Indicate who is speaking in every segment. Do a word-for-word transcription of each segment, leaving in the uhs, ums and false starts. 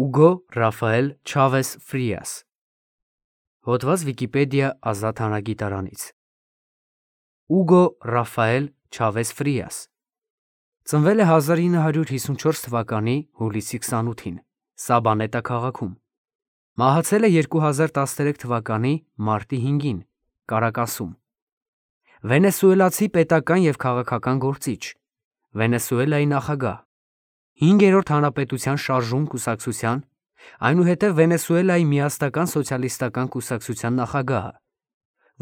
Speaker 1: Ուգո Ռաֆայել Չավես Ֆրիաս Հոդված Վիկիպեդիա ազատ հանրագիտարանից Ուգո Ռաֆայել Չավես Ֆրիաս ծնվել է հազար ինը հարյուր հիսունչորս թվականի հուլիսի քսանութին Սաբանետա քաղաքում, մահացել է երկու հազար տասներեք թվականի մարտի հինգին Կարակասում, վենեսուելացի պետական և քաղաքական գործիչ, Վենեսուելայի նախագահ, հինգերորդ հանրապետության շարժում կուսակցության, այնուհետև Վենեսուելայի միասնական սոցիալիստական կուսակցության նախագահը,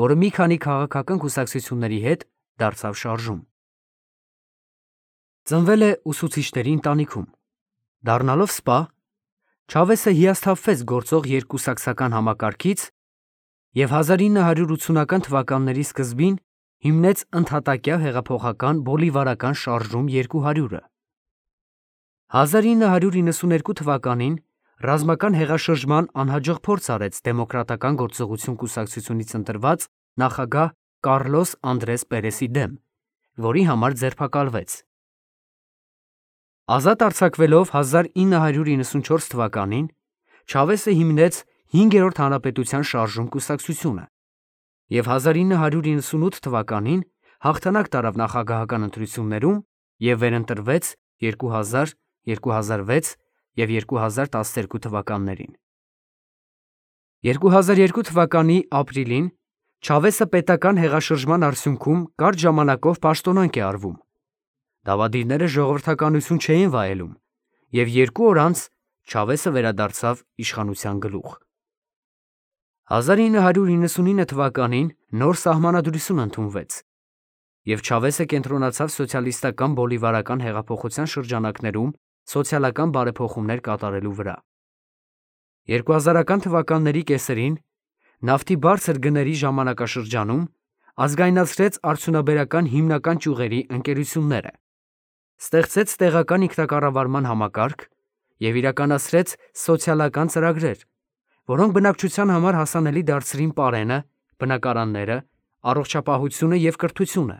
Speaker 1: որը մի քանի քաղաքական կուսակցությունների հետ դարձավ շարժում։ Ծնվել է ուսուցիչների ընտանիքում, դառնալով սպա, Չավեսը հիասթափվեց գործող երկկուսակցական համակարգից և հազար ինը հարյուր ութսունական թվականների սկզբին հիմնեց ընդհատակյա հեղափոխական բոլիվարական շարժում երկու հարյուրը։ հազար ինը հարյուր իննսուներկու թվականին ռազմական հեղաշրջման անհաջող փորձ արեց Դեմոկրատական գործողություն կուսակցությունից ընտրված նախագահ Կառլոս Անդրես Պերեսի դեմ, որի համար ձերբակալվեց։ Ազատ արձակվելով հազար ինը հարյուր իննսունչորս թվականին Չավեսը հիմնեց հինգերորդ հանրապետության շարժում կուսակցությունը և հազար ինը հարյուր իննսունութ թվականին հաղթանակ տարավ նախագահական ընտրություններում և վերընտրվեց երկու հազար, երկու հազար վեց և երկու հազար տասներկու թվականներին։ երկու հազար երկու թվականի ապրիլին Չավեսը պետական հեղաշրջման արդյունքում կարճ ժամանակով պաշտոնանկ է արվում։ Դավադիրները ժողովրդականություն չէին վայելում և երկու օր անց Չավեսը վերադարձավ իշխանության գլուխ։ հազար ինը հարյուր իննսունինը թվականին նոր սահմանադրություն ընդունվեց և Չավեսը կենտրոնացավ սոցիալիստական բոլիվարական հեղափոխության շրջանակներում սոցիալական բարեփոխումներ կատարելու վրա։ երկու հազարական թվականների կեսերին նավթի բարձր գների ժամանակաշրջանում ազգայնացրեց արդյունաբերական հիմնական ճյուղերի ընկերությունները, ստեղծեց տեղական ինքնակառավարման համակարգ և իրականացրեց սոցիալական ծրագրեր, որոնք բնակչության համար հասանելի դարձրին պարենը, բնակարանները, առողջապահությունը և կրթությունը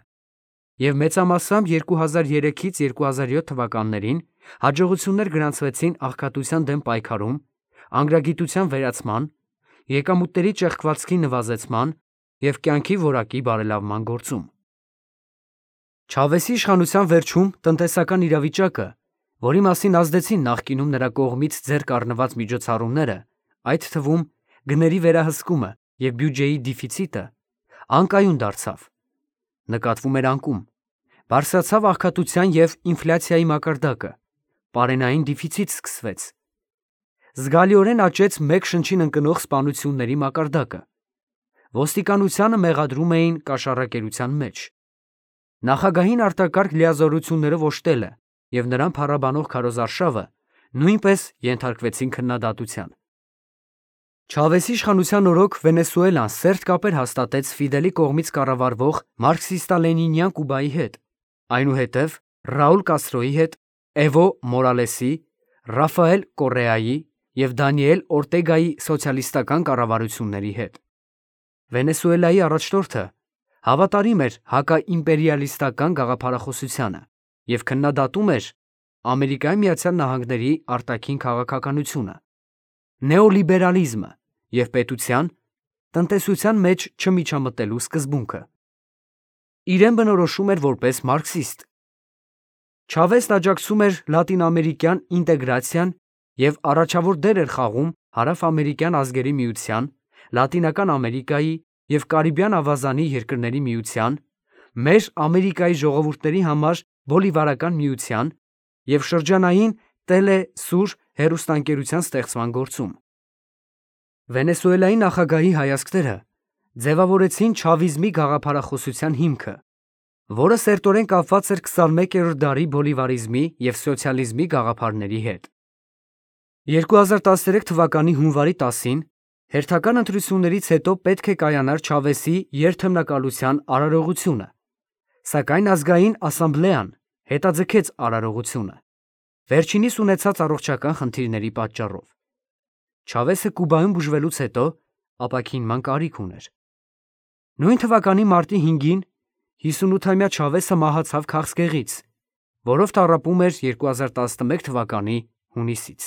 Speaker 1: և մեծամասամբ երկու հազար երեքից երկու հազար յոթ թվականներին հաջողություններ գրանցվեցին աղքատության դեմ պայքարում, անգրագիտության վերացման, եկամուտների ճեղքվածքի նվազեցման և կյանքի որակի բարելավման գործում։ Չավեսի իշխանության վերջում տնտեսական իրավիճակը, որի մասին ազդեցին նախկինում նրա կողմից ձեռք առնված միջոցառումները, այդ թվում գների վերահսկումը և բյուջեի դեֆիցիտը, անկայուն դարձավ, նկատվում էր անկում, բարձրացավ աղքատության և ինֆլյացիայի մակարդակը, պարենային դեֆիցիտ սկսվեց, զգալիորեն աճեց մեկ շնչին ընկնող սպանությունների մակարդակը, ոստիկանությանը մեղադրում էին կաշառակերության մեջ, նախագահին արտակարգ լիազորություններով օժտելը և նրան փառաբանող քարոզարշավը նույնպես ենթարկվեցին քննադատության։ Չավեսի իշխանության օրոք Վենեսուելան սերտ կապեր հաստատեց Ֆիդելի կողմից կառավարվող մարքսիստա-լենինյան Կուբայի հետ, այնուհետև Ռաուլ Կաստրոյի հետ, Էվո Մորալեսի, Ռաֆայել Կոռեայի և Դանիել Օրտեգայի սոցիալիստական կառավարությունների հետ։ Վենեսուելայի առաջնորդը հավատարիմ էր հակաիմպերիալիստական գաղափարախոսությանը և քննադատում էր Ամերիկայի Միացյալ Նահանգների արտաքին քաղաքականությունը, նեոլիբերալիզմը և պետության, տնտեսության մեջ չմիջամտելու սկզբունքը։ Իրեն բնորոշում էր որպես մարքսիստ։ Չավեսն աջակցում էր լատինամերիկյան ինտեգրացիան և առաջավոր դեր էր խաղում Հարավամերիկյան ազգերի միության, Լատինական Ամերիկայի և Կարիբյան ավազանի երկրների միության, Մեր Ամերիկայի ժողովուրդների համար Բոլիվարական միության և շրջանային Տելե Սուր հեռուստաընկերության ստեղծման գործում։ Վենեսուելայի նախագահի հայացքները ձևավորեցին չավիզմի գաղափարախոսության հիմքը, որը սերտորեն կապված էր քսանմեկերորդ դարի բոլիվարիզմի և սոցիալիզմի գաղափարների հետ։ երկու հազար տասներեք թվականի հունվարի տասին հերթական ընտրություններից հետո պետք է կայանար Չավեսի երդմնակալության արարողությունը, սակայն ազգային ասամբլեան հետաձգեց արարողությունը, վերջինիս ունեցած առողջական խնդիրների պատճառով։ Չավեսը Կուբայում բուժվելուց հետո ապաքինման կարիք ուներ։ Նույն թվականի մարտի հինգին հիսունութամյա Չավեսը մահացավ քաղցկեղից, որով տառապում էր երկու հազար տասնմեկ թվականի հունիսից։